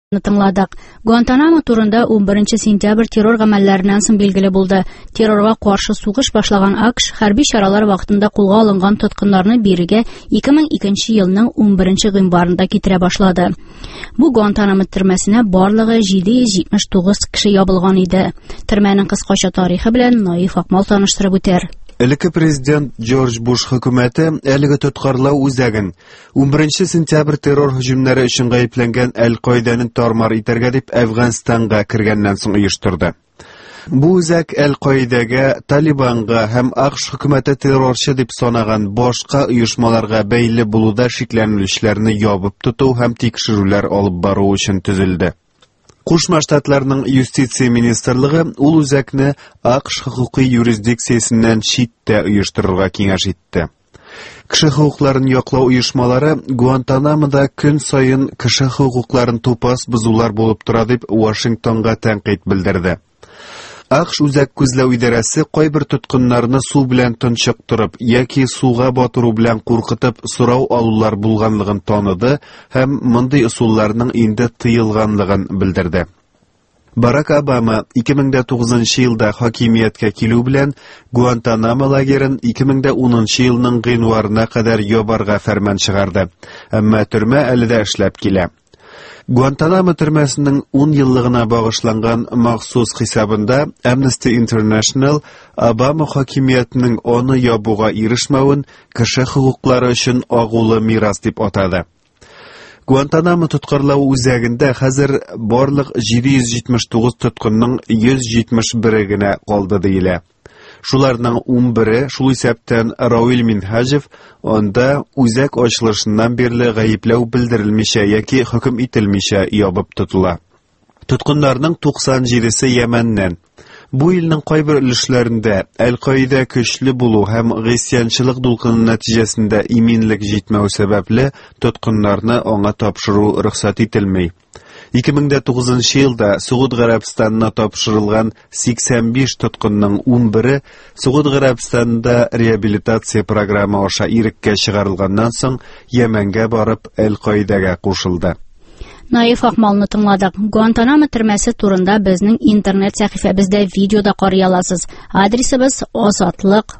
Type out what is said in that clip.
Тыңладык. Гуантанамо турында 11 сентябрь террор гамәлләреннән соң билгеле булды. Террорга каршы сугыш башлаган АКШ хәрби чаралар вакытында кулга алынган тоткыннарны бирегә 2002 елның 11 гыйнварында китерә башлады. Бу Гуантанамо төрмәсенә барлыгы 779 кеше ябылган иде. Төрмәнең кыскача тарихы белән Наиф Акмал таныштырып үтәр. Элекке президент Джордж Буш хөкүмәте әлеге тоткарлау үзәген 11 сентябрь террор һөҗүмнәре өчен гаепләнгән Әл-Каидәне тармар итәргә дип Әфганстанга кергәннән соң оештырды. Бу үзәк Әл-Каидәгә, Талибанга һәм АКШ хөкүмәте террорчы дип санаган башка оешмаларга бәйле булуда шикләнелүчеләрне ябып тоту һәм тикшерүләр алып бару өчен төзелде. Кушма Штатларның юстиция министрлыгы ул үзәкне АКШ хокукый юрисдикциясеннән читтә оештырырга киңәш итте. Кеше хокукларын яклау оешмалары Гуантанамода көн саен кеше хокукларын тупас бозулар булып тора дип Вашингтонга тәнкыйть белдерде. АКШ үзәк күзләү идарәсе кайбер тоткыннарны су белән тончыктырып яки суга батыру белән куркытып сорау алулар булганлыгын таныды һәм мондый ысулларның инде тыелганлыгын белдерде. Барак Обама 2009 елда хакимияткә килү белән Гуантанамо лагерен 2010 елның гыйнварына кадәр ябарга фәрман чыгарды. Әмма төрмә әле дә эшләп килә. Гуантанамо төрмәсенең 10 еллыгына багышланган махсус хисабында Amnesty International Обама хакимиятенең аны ябуга ирешмәвен кеше хокуклары өчен агулы мирас дип атады. Гуантанамо тоткарлау үзәгендә хәзер барлык 779 тоткынның 171-е генә калды диелә. Шуларның 11-е, шул исәптән Равил Минһаҗев, анда үзәк ачылышыннан бирле гаепләү белдерелмичә яки хөкем ителмичә ябып тотыла. Тоткыннарның 97-се Йәмәннән. Бу илнең кайбер өлешләрендә Әл-Каидә көчле булу һәм гыйсьянчылык дулкыны нәтиҗәсендә иминлек җитмәү сәбәпле тоткыннарны аңа тапшыру рөхсәт ителми. 2009 елда Согуд Гарәбстанына тапшырылган 85 тоткынның 11-е Согуд Гарәбстанында реабилитация программы аша иреккә чыгарылганнан соң Йәмәнгә барып Әл-Каидәгә кушылды. Наиф Акмалны тыңладык. Гуантанамо төрмәсе турында безнең интернет сәхифәбездә видеода карый аласыз. Адресыбыз Азатлык.